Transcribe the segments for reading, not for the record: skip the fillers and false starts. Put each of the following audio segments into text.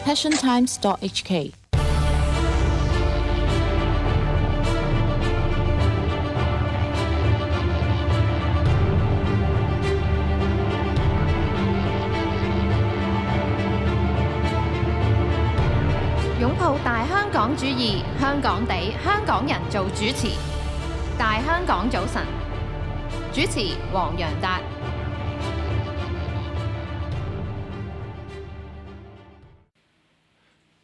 passiontimes.hk。擁抱大香港主義，香港地，香港人做主持。大香港早晨，主持黃洋達。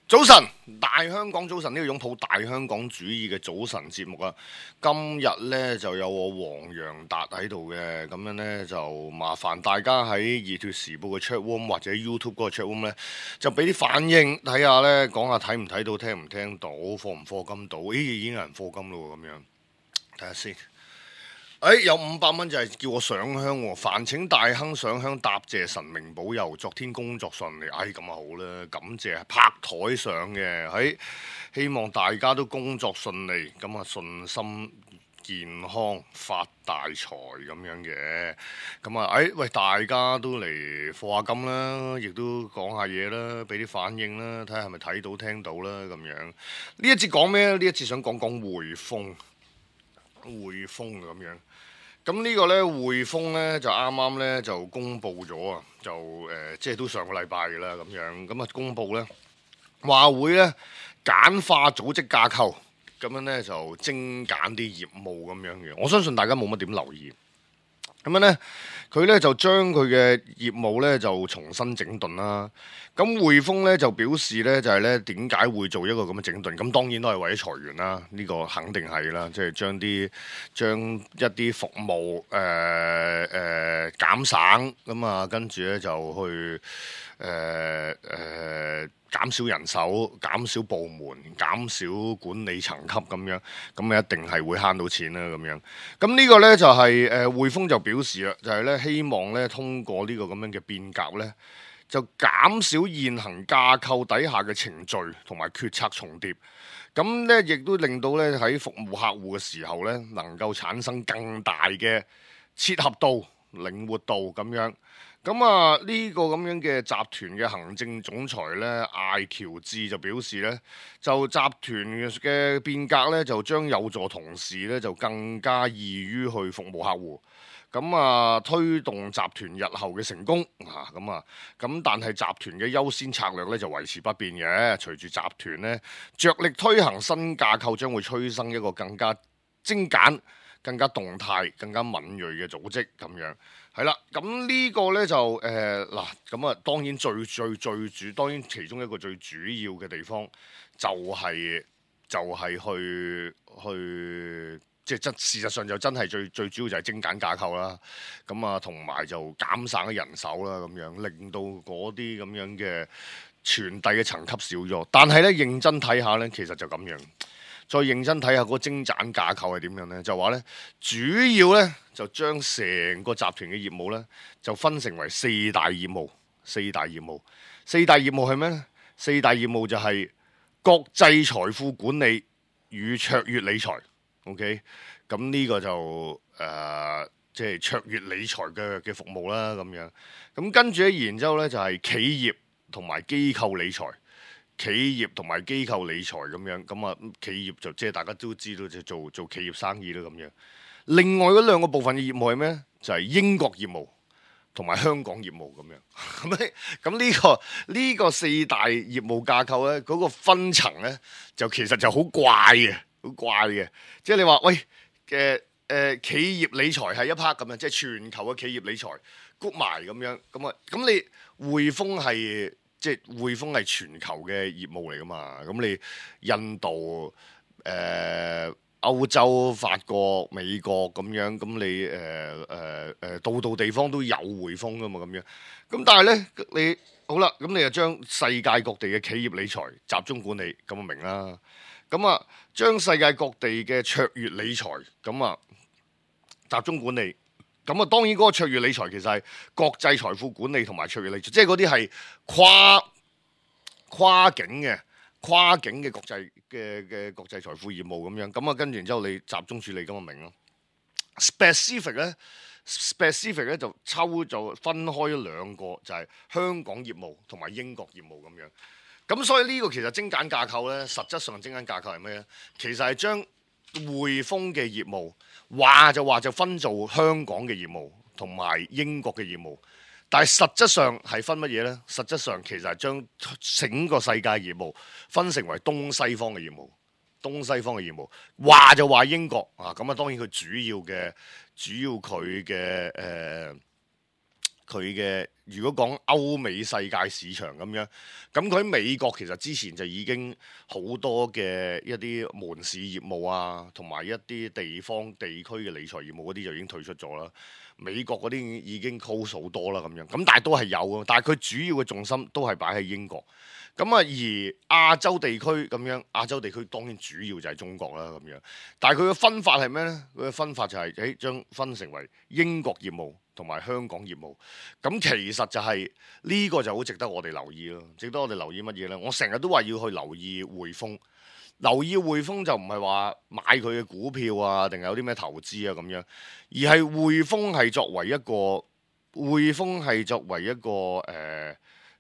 早晨，大香港早晨，呢個擁抱大香港主義嘅早晨節目啊！今日呢就有我黃洋達喺度嘅，咁樣呢就麻煩大家喺熱血時報嘅 chat room 或者 YouTube 嗰個 chat room 呢，就俾啲反應睇下呢，講下睇唔睇到，聽唔聽到，課唔課金到？咦，已經有人課金咯，咁樣睇下先。有500蚊就係叫我上香喎，煩請大亨上香答謝神明保佑，昨天工作順利。咁啊好啦，感謝拍台上嘅，希望大家都工作順利，咁啊順心健康發大財咁樣嘅，咁啊喂，大家都嚟課下金啦，亦都講下嘢啦，俾啲反應啦，睇下係咪睇到聽到啦咁樣。呢一節講咩咧？呢一節想講講匯豐咁樣。咁呢個呢，匯豐呢，就啱啱呢，就公布咗啊，即係都上個禮拜嘅啦咁樣，咁啊公布呢，話會呢簡化組織架構，咁樣呢，就精簡啲業務咁樣嘅。我相信大家冇乜點留意，咁樣呢，佢呢，就將佢嘅業務呢，就重新整頓啦。咁匯豐咧就表示咧就係咧點解會做一個咁嘅整頓？咁當然都係為咗裁員啦，呢個肯定係啦，即係將一啲服務減省咁啊，跟住咧就去減少人手、減少部門、減少管理層級咁樣，咁啊一定係會慳到錢啦咁樣。咁呢個咧就係匯豐就表示啦，就係咧希望咧通過呢個咁樣嘅變革咧，就減少現行架構底下嘅程序同埋決策重疊，咁咧亦都令到咧喺服務客戶嘅時候咧，能夠產生更大嘅切合度、靈活度咁樣。咁啊呢個咁樣嘅集團嘅行政總裁咧艾喬治就表示咧，就集團嘅變革咧就將有助同事咧就更加易於去服務客戶。咁啊，推動集團日後嘅成功咁但係集團嘅優先策略咧就維持不變嘅。隨住集團咧着力推行新架構，將會催生一個更加精簡、更加動態、更加敏鋭嘅組織咁樣。係啦，咁呢個咧就咁啊當然當然其中一個最主要嘅地方就係去。即係事實上就真係最主要就係精簡架構啦，咁啊同埋就減省人手啦，咁樣令到嗰啲咁樣嘅傳遞嘅層級少咗。但係咧認真睇下咧，其實就咁樣。再認真睇下嗰個精簡架構係點樣咧，就話咧主要咧就將成個集團嘅業務咧就分成為四大業務係咩咧？四大業務就係國際財富管理與卓越理財。OK， 咁呢個就即係卓越理財嘅服務啦，咁樣。咁跟住咧，然之後咧就係企業同埋機構理財咁樣。咁啊，企業就即係大家都知道，就做企業生意啦咁樣。另外嗰兩個部分嘅業務係咩？就係英國業務同埋香港業務咁樣。咁呢個四大業務架構咧，嗰個分層咧就其實就好怪嘅。即係你話喂企業理財係一 part 咁樣，即係全球嘅企業理財谷埋咁樣，咁你匯豐係全球嘅業務嚟噶嘛？咁你印度、歐洲、法國、美國咁樣，咁你度地方都有匯豐噶嘛？咁樣，咁但係咧你好啦，咁你就將世界各地嘅企業理財集中管理，咁就明啦。咁啊，將世界各地嘅卓越理財咁啊集中管理，咁啊當然嗰個卓越理財其實係國際財富管理同埋卓越理財，即係嗰啲係跨境嘅國際嘅國際財富業務咁樣。咁啊跟住然之後你集中處理咁就明咯。specific 咧就分開咗兩個，就係香港業務同埋英國業務咁樣。咁所以呢個其實精簡架構呢，實質上精簡架構係咩呢？其實係將匯豐嘅業務話就分做香港嘅業務同埋英國嘅業務，但係實質上係分乜嘢呢？實質上其實係將整個世界業務分成為東西方嘅業務。東西方嘅業務話就話英國啊，咁啊當然佢主要佢嘅如果講歐美世界市場咁樣，咁佢喺美國其實之前就已經好多嘅一啲門市業務啊，同埋一啲地區嘅理財業務嗰啲就已經退出咗啦。美國嗰啲已經 close 好多啦咁樣，咁但係都係有嘅，但係佢主要嘅重心都係擺喺英國。咁啊，而亞洲地區咁樣，亞洲地區當然主要就係中國啦咁樣。但係佢嘅分法係咩呢？佢嘅分法就係將分成為英國業務同埋香港業務。咁其實就係呢個就好值得我哋留意咯。值得我哋留意乜嘢呢？我成日都話要去留意匯豐。留意匯豐就唔係話買佢嘅股票啊，定係有啲咩投資啊咁樣，而係匯豐係作為一個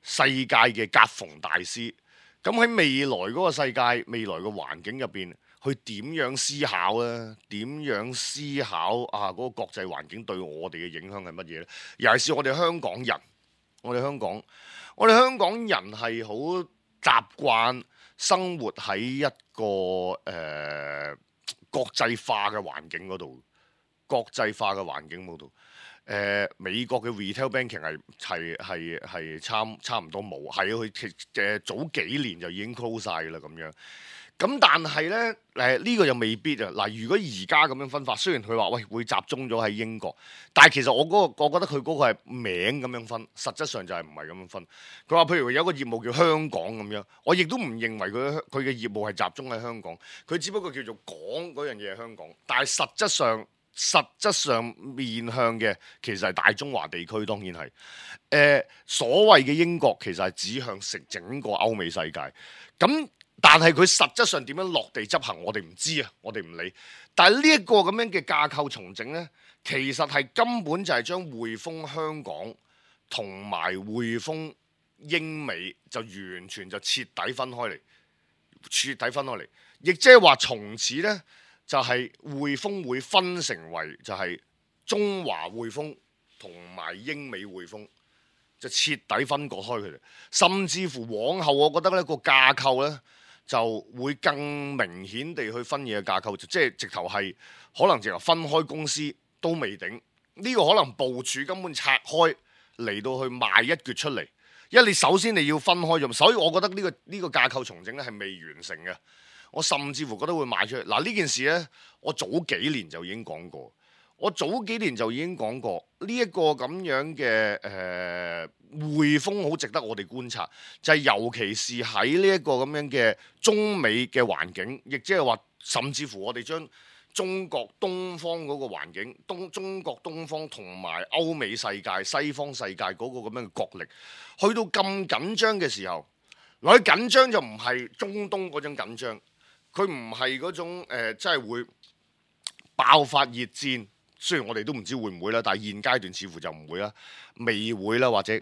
世界嘅夾縫大師。咁喺未來嗰個世界、未來嘅環境入邊，去點樣思考呢？點樣思考啊？嗰個國際環境對我哋嘅影響係乜嘢呢？尤其是我哋香港人，我哋香港人係好習慣生活喺一個國際化嘅環境嗰度，美國嘅 retail banking 係差唔多冇，係啊，佢早幾年就已經 close 晒啦咁樣。咁但係呢，呢個又未必啊。嗱，如果而家咁樣分法，雖然佢話喂會集中咗喺英國，但係其實我覺得佢嗰個係名咁樣分，實質上就係唔係咁樣分。佢話譬如有個業務叫香港咁樣，我亦都唔認為佢嘅業務係集中喺香港，佢只不過叫做講嗰樣嘢係香港，但係實質上面向嘅其實係大中華地區，當然係所謂嘅英國其實係指向整個歐美世界咁。但係佢實質上點樣落地執行，我哋唔知啊，我哋唔理。但係呢一個咁樣嘅架構重整呢，其實係根本就係將匯豐香港同埋匯豐英美就完全就徹底分開嚟，亦即係話從此呢，就係匯豐會分成為就係中華匯豐同埋英美匯豐，就徹底分割開佢哋。甚至乎往後，我覺得呢個架構呢，就會更明顯地去分嘢嘅架構，即係直頭係可能直頭分開公司都未定。呢個可能部署根本拆開嚟到去賣一橛出嚟，因為你首先你要分開咗，所以我覺得呢個架構重整咧係未完成嘅。我甚至乎覺得會賣出去。嗱，呢件事呢，我早幾年就已經講過。呢一個咁樣嘅匯豐好值得我哋觀察，就係尤其是喺呢一個咁樣嘅中美嘅環境，亦即係話甚至乎我哋將中國東方嗰個環境，中國東方同埋歐美世界、西方世界嗰個咁樣嘅角力，去到咁緊張嘅時候，佢緊張就唔係中東嗰種緊張，佢唔係嗰種真係會爆發熱戰。雖然我哋都唔知會唔會啦，但係現階段似乎就唔會啦，未會啦，或者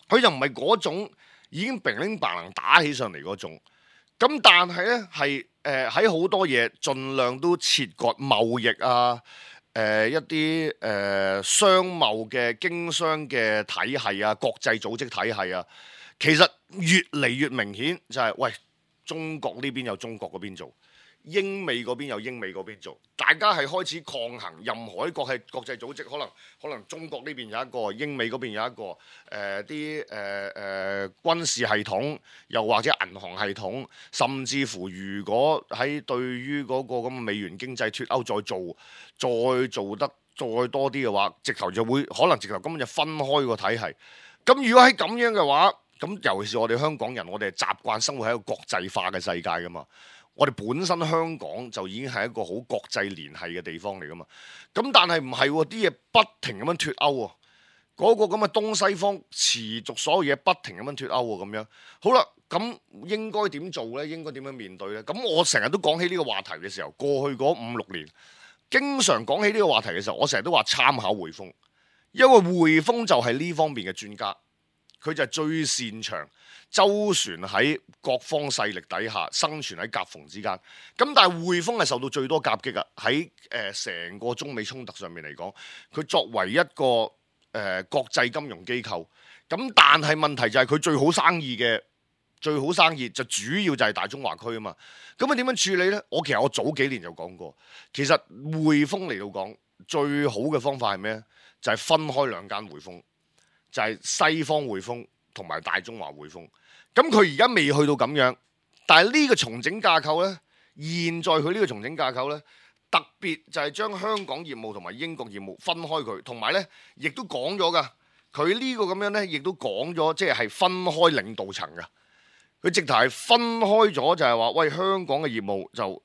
佢就唔係嗰種已經乒乒乓乓打起上嚟嗰種。咁但係呢，係喺好多嘢盡量都切割貿易啊，一啲商貿嘅經商嘅體系啊，國際組織體系啊，其實越嚟越明顯就係喂，中國呢邊有中國嗰邊做。英美嗰邊有英美嗰邊做，大家係開始抗衡任何一個係國際組織，可能中國呢邊有一個，英美嗰邊有一個，軍事系統，又或者銀行系統，甚至乎如果喺對於嗰個咁嘅美元經濟脫歐再做得再多啲嘅話，直頭就會可能直頭根本就分開個體系。咁如果喺咁樣嘅話，咁尤其是我哋香港人，我哋係習慣生活喺一個國際化嘅世界噶嘛。我哋本身香港就已經係一個好國際聯繫嘅地方嚟噶嘛，咁但係唔係喎，啲嘢不停咁樣脫歐喎，嗰個咁嘅東西方持續所有嘢不停咁樣脫歐喎咁樣。好啦，咁應該點做呢？應該點樣面對呢？咁我成日都講起呢個話題嘅時候，過去嗰5-6年，經常講起呢個話題嘅時候，我成日都話參考匯豐，因為匯豐就係呢方面嘅專家。佢就係最擅長周旋喺各方勢力底下生存喺夾縫之間。咁但係匯豐係受到最多夾擊啊！喺成個中美衝突上面嚟講，佢作為一個國際金融機構，咁但係問題就係佢最好生意就主要就係大中華區啊嘛。咁啊點樣處理呢？其實我早幾年就講過，其實匯豐嚟到講最好嘅方法係咩？就係分開兩間匯豐，就係西方匯豐同埋大中華匯豐。咁佢而家未去到咁樣，但係呢個重整架構呢，現在佢呢個重整架構呢，特別就係將香港業務同埋英國業務分開佢，同埋呢亦都講咗噶，佢呢個咁樣呢，亦都講咗，即係分開領導層噶。佢直頭係分開咗，就係話喂，香港嘅業務就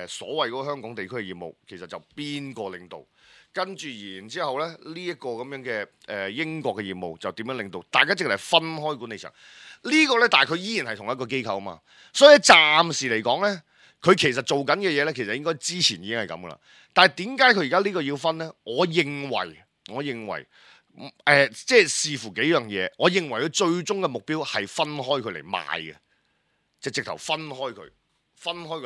所謂嗰個香港地區嘅業務，其實就邊個領導？跟住然之後咧，呢一個咁樣嘅英國嘅業務就點樣領導？大家直頭係分開管理層。呢個呢，但係佢依然係同一個機構啊嘛。所以暫時嚟講呢，佢其實做緊嘅嘢呢，其實應該之前已經係咁噶啦。但係點解佢而家呢個要分呢？我認為。即係視乎幾樣嘢，我認為佢最終嘅目標係分開佢嚟賣嘅，即係直頭分開佢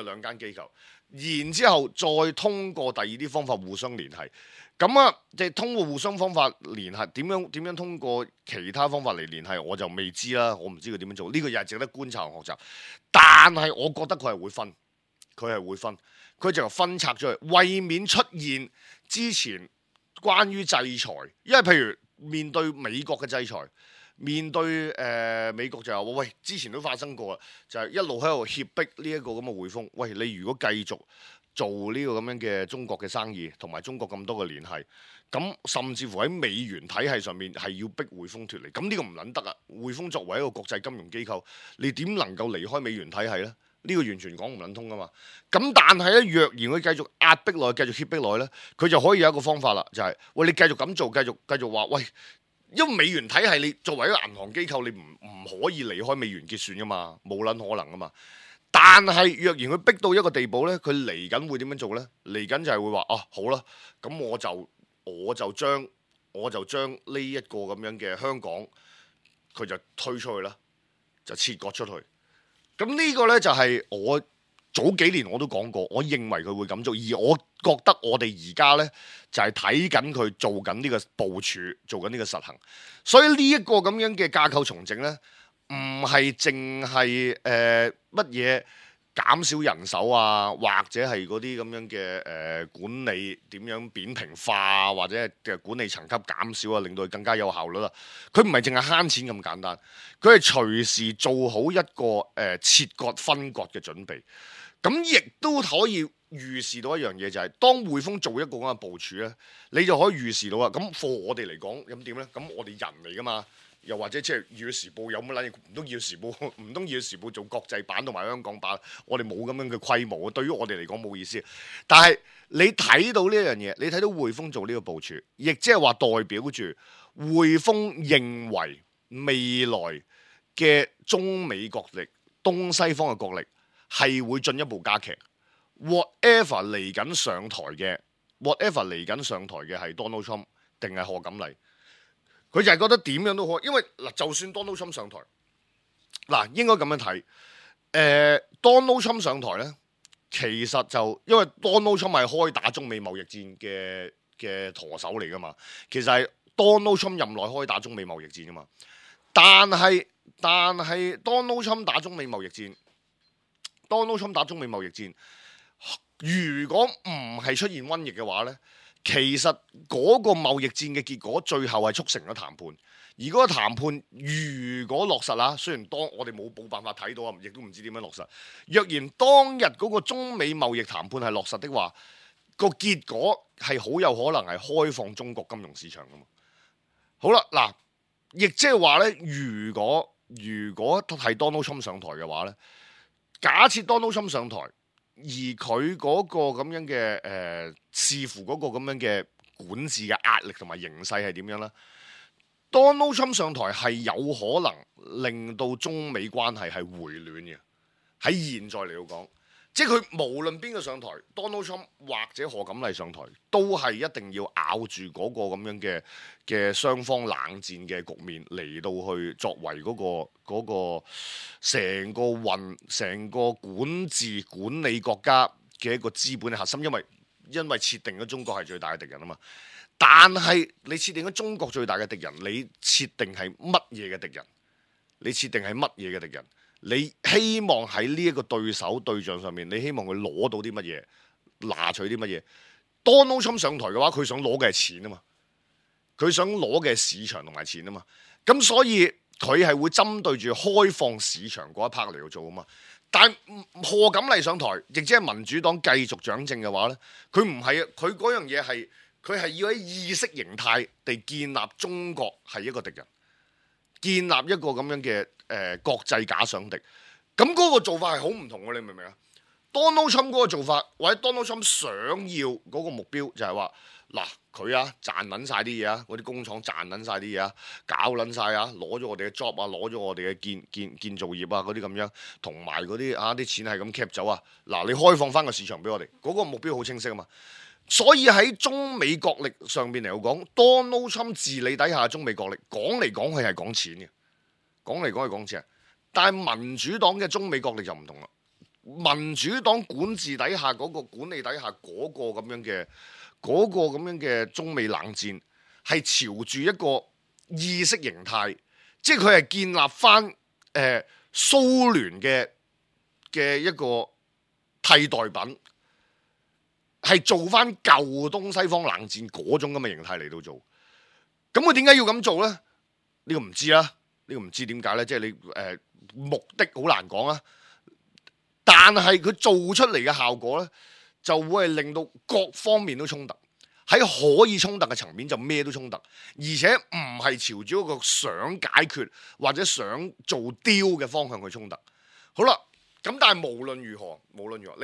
兩間機構，然之後再通過第二啲方法互相聯繫。咁啊，即係通過互相方法聯繫，點樣通過其他方法嚟聯繫，我就未知啦。我唔知佢點樣做，呢個又係值得觀察同學習。但係我覺得佢係會分，佢就分拆咗去，為免出現之前關於制裁，因為譬如面對美國嘅制裁，面對美國就話喂，之前都發生過啦，就係一路喺度脅迫呢一個咁嘅匯豐，喂，你如果繼續做呢個咁樣嘅中國嘅生意，同埋中國咁多嘅聯繫，咁甚至乎喺美元體系上面係要逼匯豐脫離，咁呢個唔撚得啊！匯豐作為一個國際金融機構，你點能夠離開美元體系呢？呢個完全講唔撚通噶嘛。咁但係咧，若然佢繼續壓迫落去，繼續脅迫落去咧，佢就可以有一個方法啦，就係喂，你繼續咁做，繼續話喂，因為美元體系你作為一個銀行機構，你唔可以離開美元結算噶嘛，冇撚可能噶嘛。但係若然佢逼到一個地步咧，佢嚟緊會點樣做咧？嚟緊就係會話啊，好啦，咁我就將呢一個咁樣嘅香港，佢就推出去啦，就切割出去。咁呢個呢，就係我早幾年我都講過，我認為佢會咁做，而我覺得我哋而家呢，就係睇緊佢做緊呢個部署，做緊呢個實行。所以呢一個咁樣嘅架構重整呢，唔係淨係乜嘢減少人手啊，或者係嗰啲咁樣嘅管理點樣扁平化，或者嘅管理層級減少啊，令到佢更加有效率啦。佢唔係淨係慳錢咁簡單，佢係隨時做好一個切割分割嘅準備。咁亦都可以預示到一樣嘢，就係當匯豐做一個咁嘅部署咧，你就可以預示到啊。咁貨我哋嚟講咁點咧？咁我哋人嚟噶嘛？又或者即係《粵語時報》有乜撚嘢？唔通《粵語時報》做國際版同埋香港版？我哋冇咁樣嘅規模，對於我哋嚟講冇意思。但係你睇到呢一樣嘢，你睇到匯豐做呢個部署，亦即係話代表住匯豐認為未來嘅中美角力、東西方嘅角力係會進一步加劇。whatever 嚟緊上台嘅係 Donald Trump 定係賀錦麗？佢就係覺得點樣都好，因為嗱，就算 Donald Trump 上台，嗱應該咁樣睇，Donald Trump 上台咧，其實就因為 Donald Trump 係開打中美貿易戰嘅舵手嚟噶嘛，其實係 Donald Trump 任內開打中美貿易戰噶嘛，但係 Donald Trump 打中美貿易戰，如果唔係出現瘟疫嘅話咧，其實嗰個貿易戰嘅結果最後係促成咗談判，而嗰個談判如果落實啦，雖然我哋冇辦法睇到啊，亦都唔知點樣落實。若然當日嗰個中美貿易談判係落實的話，個結果係好有可能係開放中國金融市場噶嘛。好啦，嗱，亦即係話咧，如果係 Donald Trump 上台嘅話咧，假設 Donald Trump 上台。而佢嗰個咁樣嘅視乎嗰個咁樣嘅管治嘅壓力同埋形勢係點樣啦？ Donald Trump 上台係有可能令到中美關係係回暖嘅。喺現在嚟到講，即係佢無論邊個上台，Donald Trump 或者賀錦麗上台，都係一定要咬住嗰個咁樣嘅雙方冷戰嘅局面嚟到去作為嗰個成個管治管理國家嘅一個資本嘅核心，因為設定咗中國係最大嘅敵人啊嘛。但係你設定咗中國最大嘅敵人，你設定係乜嘢嘅敵人？你設定係乜嘢嘅敵人？你希望喺呢一個對手對象上面，你希望佢攞到啲乜嘢，拿取啲乜嘢？Donald Trump 上台嘅話，佢想攞嘅係錢啊嘛，佢想攞嘅係市場同埋錢啊嘛，咁所以佢係會針對住開放市場嗰一 part 嚟到做啊嘛。但賀錦麗上台，亦即係民主黨繼續掌政嘅話呢，佢唔係啊，佢嗰樣嘢係佢係要喺意識形態地建立中國係一個敵人，建立一個咁樣嘅國際假想敵，咁嗰個做法係好唔同嘅，你明唔明啊？Donald Trump 嗰個做法，或者 Donald Trump 想要嗰個目標就係話，嗱佢啊賺撚晒啲嘢啊，嗰啲工廠賺撚晒啲嘢啊，搞撚晒啊，攞咗我哋嘅 job 啊，攞咗我哋嘅建造業啊嗰啲咁樣，同埋嗰啲啲錢係咁 cap 走啊，嗱你開放翻個市場俾我哋，嗰個目標好清晰啊嘛。所以喺中美國力上邊嚟講，Donald Trump 治理底下嘅中美國力講嚟講去係講錢嘅。講嚟講去講錢，但係民主黨嘅中美國力就唔同啦。民主黨管治底下嗰個管理底下嗰個咁樣嘅中美冷戰，係朝住一個意識形態，即係佢係建立翻蘇聯嘅一個替代品，係做翻舊東西方冷戰嗰種咁嘅形態嚟到做。咁佢點解要咁做呢？呢個唔知啦。呢個唔知點解呢？即係你目的好難講啊。但係佢做出嚟嘅效果呢，就會係令到各方面都衝突。喺可以衝突嘅層面就咩都衝突，而且唔係朝住一個想解決或者想做 deal 嘅方向去衝突。好啦，咁但係無論如何，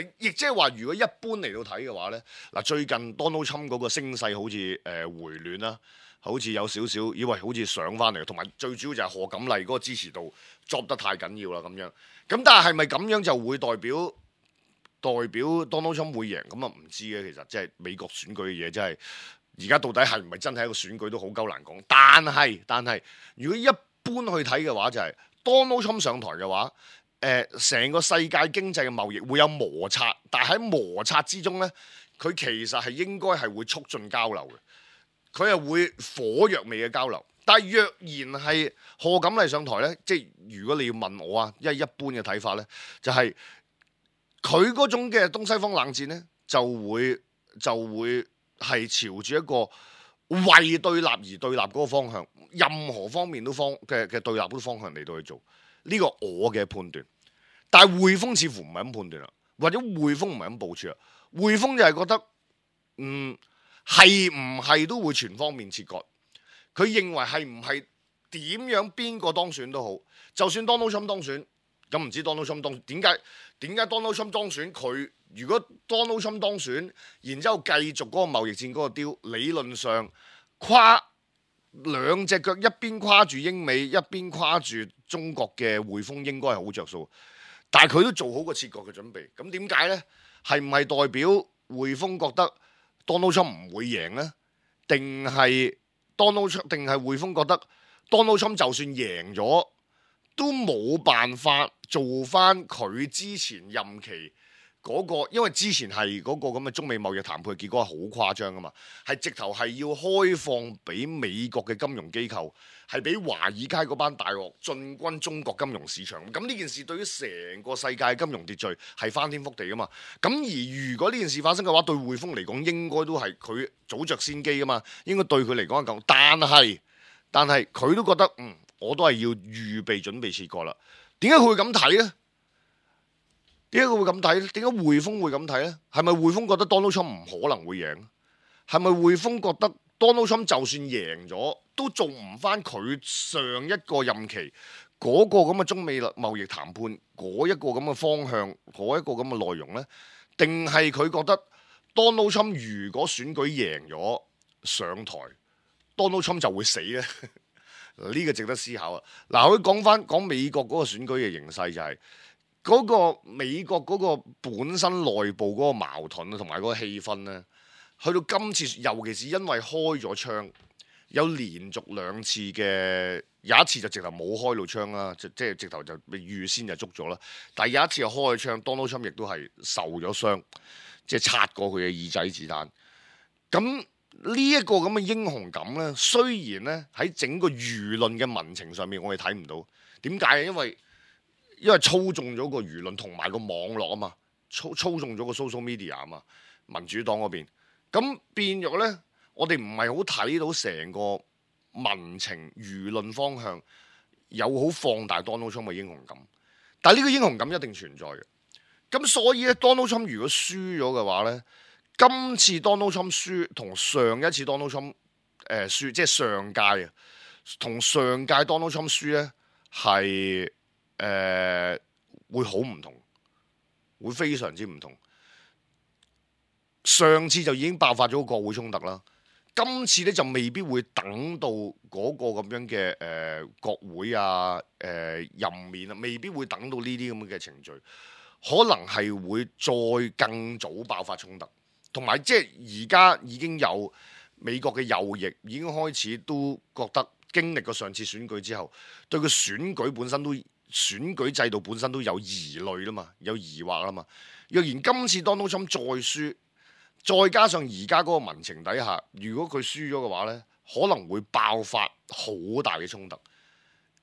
你亦即係話，如果一般嚟到睇嘅話呢，嗱最近 Donald Trump 嗰個聲勢好似回暖啦。好似有少少，以為好似上翻嚟，同埋最主要就係賀錦麗嗰個支持度 drop 得太緊要啦咁樣。咁但係咪咁樣就會代表 Donald Trump 會贏？咁啊唔知嘅，其實即係美國選舉嘅嘢，真係而家到底係唔係真係一個選舉都好鳩難講。但係如果一般去睇嘅話，就係 Donald Trump 上台嘅話，成個世界經濟嘅貿易會有摩擦，但係喺摩擦之中呢，佢其實係應該係會促進交流嘅。佢係會火藥味嘅交流，但係若然係賀錦麗上台呢，即係如果你要問我啊，一般嘅睇法呢，就係佢嗰種嘅東西方冷戰呢，就會係朝住一個為對立而對立嗰個方向，任何方面都嘅對立嗰個方向嚟到去做呢個我嘅判斷。但係匯豐似乎唔係咁判斷啦，或者匯豐唔係咁部署啦，匯豐就係覺得係唔係都會全方面切割？佢認為係唔係點樣邊個當選都好，就算 Donald Trump 當選，咁唔知 Donald Trump 當點解 Donald Trump 當選？佢如果 Donald Trump 當選，然之後繼續嗰個貿易戰嗰個雕，理論上跨兩隻腳，一邊跨住英美，一邊跨住中國嘅匯豐，應該係好着數。但係佢都做好個切割嘅準備。咁點解呢？係唔係代表匯豐覺得 Donald Trump 唔會贏呢？定係匯豐覺得 Donald Trump 就算贏咗，都冇辦法做翻佢之前任期嗰個，因為之前係嗰個咁嘅中美貿易談判嘅結果係好誇張噶嘛，係直頭係要開放俾美國嘅金融機構，係俾華爾街嗰班大鱷進軍中國金融市場。咁呢件事對於成個世界金融秩序係翻天覆地噶嘛。咁而如果呢件事發生嘅話，對匯豐嚟講應該都係佢早着先機噶嘛，應該對佢嚟講係咁。但係佢都覺得我都係要預備準備切割啦。點解佢會咁睇呢？點解佢會咁睇咧？點解匯豐會咁睇呢？係咪匯豐覺得 Donald Trump 唔可能會贏？係咪匯豐覺得 Donald Trump 就算贏咗，都做唔翻佢上一個任期嗰個咁嘅中美貿易談判嗰一個咁嘅方向，嗰一個咁嘅內容呢？定係佢覺得 Donald Trump 如果選舉贏咗上台，Donald Trump 就會死呢？呢個值得思考啊！嗱，我講美國嗰個選舉嘅形勢就係嗰個美國嗰個本身內部嗰個矛盾啊，同埋嗰個氣氛咧，去到今次，尤其是因為開咗槍，有連續2次嘅，有一次就直頭冇開到槍啦，即係直頭就預先就捉咗啦。但係有一次又開咗槍，Donald Trump 亦都係受咗傷，即係擦過佢嘅耳仔子彈。咁呢一個咁嘅英雄感咧，雖然咧喺整個輿論嘅民情上面，我哋睇唔到。點解？因為操縱咗個輿論同埋個網絡啊嘛，操縱咗個 social media 啊嘛，民主黨嗰邊。咁變咗咧，我哋唔係好睇到成個民情輿論方向有好放大 Donald Trump 嘅英雄感。但係呢個英雄感一定存在嘅。咁所以咧，Donald Trump 如果輸咗嘅話咧，今次 Donald Trump 輸同上一次 Donald Trump 輸，即係上屆啊，同上屆 Donald Trump 輸咧係會好唔同，會非常之唔同。上次就已經爆發咗個國會衝突啦，今次咧就未必會等到嗰個咁樣嘅國會啊任免啊，未必會等到呢啲咁嘅程序，可能係會再更早爆發衝突。同埋即係而家已經有美國嘅右翼已經開始都覺得經歷過上次選舉之後，對個選舉制度本身都有疑慮啦嘛，有疑惑啦嘛。若然今次 Donald Trump 再輸，再加上而家嗰個民情底下，如果佢輸咗嘅話呢，可能會爆發好大嘅衝突。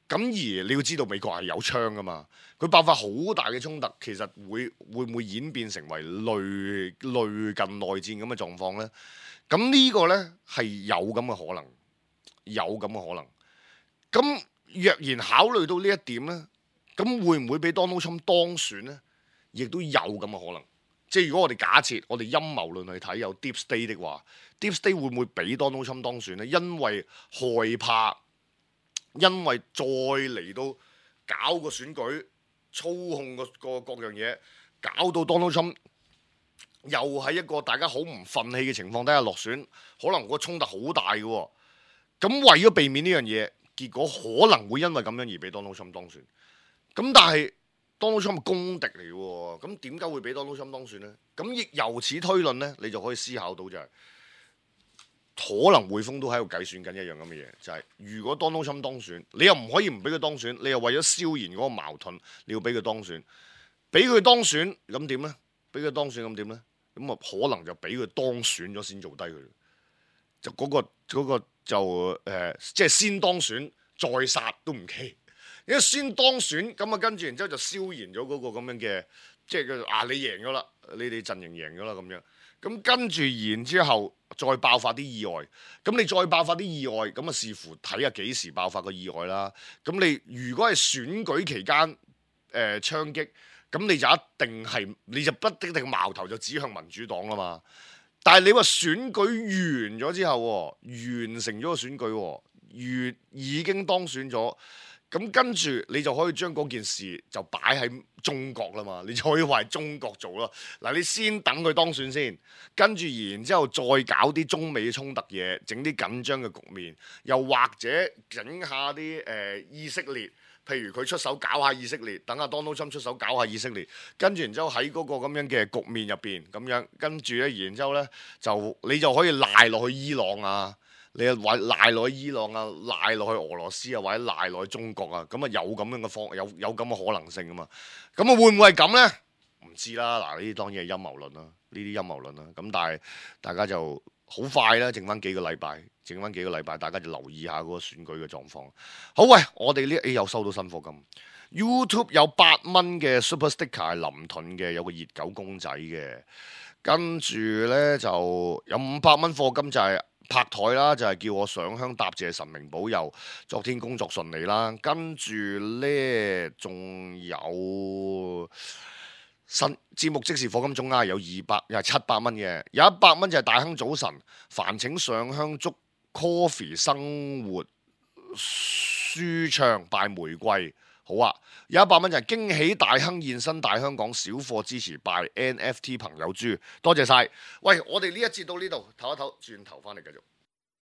咁而你要知道美國係有槍噶嘛，佢爆發好大嘅衝突，其實會唔會演變成為類近內戰咁嘅狀況呢？咁呢個呢係有咁嘅可能，有咁嘅可能。咁若然考慮到呢一點呢，咁會唔會俾 Donald Trump 當選呢？亦都有咁嘅可能。即係如果我哋假設我哋陰謀論去睇有 Deep State 的話，Deep State 會唔會俾 Donald Trump 當選呢？因為害怕。因為再嚟到搞個選舉，操控個各樣嘢，搞到 Donald Trump 又喺一個大家好唔憤氣嘅情況底下落選，可能個衝突好大嘅喎。咁為咗避免呢樣嘢，結果可能會因為咁樣而俾 Donald Trump 當選。咁但係 Donald Trump 係公敵嚟嘅喎，咁點解會俾 Donald Trump 當選呢？咁亦由此推論呢，你就可以思考到就係。可能匯豐都喺度計算緊一樣咁嘅嘢，就係如果 Donald Trump 當選，你又唔可以唔俾佢當選，你又為咗消燃嗰個矛盾，你要俾佢當選，俾佢當選咁點呢？俾佢當選咁點呢？咁啊可能就俾佢當選咗先做低佢，就嗰個就即係先當選再殺都唔奇，因為先當選咁啊，跟住然之後就消燃咗嗰個咁樣嘅，即係佢你贏咗啦，你哋陣營贏咗啦咁樣。咁跟住然之後再爆發啲意外，咁你再爆發啲意外，咁啊視乎睇下幾時爆發個意外啦。咁你如果係選舉期間槍擊，咁你就不一定矛頭就指向民主黨啦嘛。但係你話選舉完咗之後，完成咗個選舉，已經當選咗。咁跟住你就可以將嗰件事就擺喺中國啦嘛，你就可以話係中國做咯。嗱，你先等佢當選先，跟住然之後再搞啲中美衝突嘢，整啲緊張嘅局面，又或者整下啲以色列，譬如佢出手搞下以色列，等下 Donald Trump 出手搞下以色列，跟住然之後喺嗰個咁樣嘅局面入邊咁樣，跟住咧然之後咧你就可以賴落去伊朗啊。你又賴落去伊朗啊，賴落去俄羅斯啊，或者賴落去中國啊，咁啊有咁樣嘅有咁嘅可能性啊嘛，咁啊會唔會係咁呢？唔知啦，嗱呢啲當然係陰謀論啦，呢啲陰謀論啦，咁但係大家就好快啦，剩翻幾個禮拜，大家就留意下嗰個選舉嘅狀況。好喂，我哋呢又收到新課金 ，YouTube 有8蚊嘅 Super Sticker 係林盾嘅，有個熱狗公仔嘅，跟住呢就有500蚊課金就係、拍台啦，就係叫我上香答謝神明保佑，昨天工作順利啦。跟住呢，仲有新節目即時課金總額有700蚊嘅，有100蚊就係大亨早晨，煩請上香祝 Coffee 生活舒暢拜玫瑰。好啊，有100蚊就係驚喜大亨現身大香港小貨支持拜 NFT 朋友豬，多謝晒。喂，我哋呢一節到呢度，唞一唞，轉頭翻嚟繼續。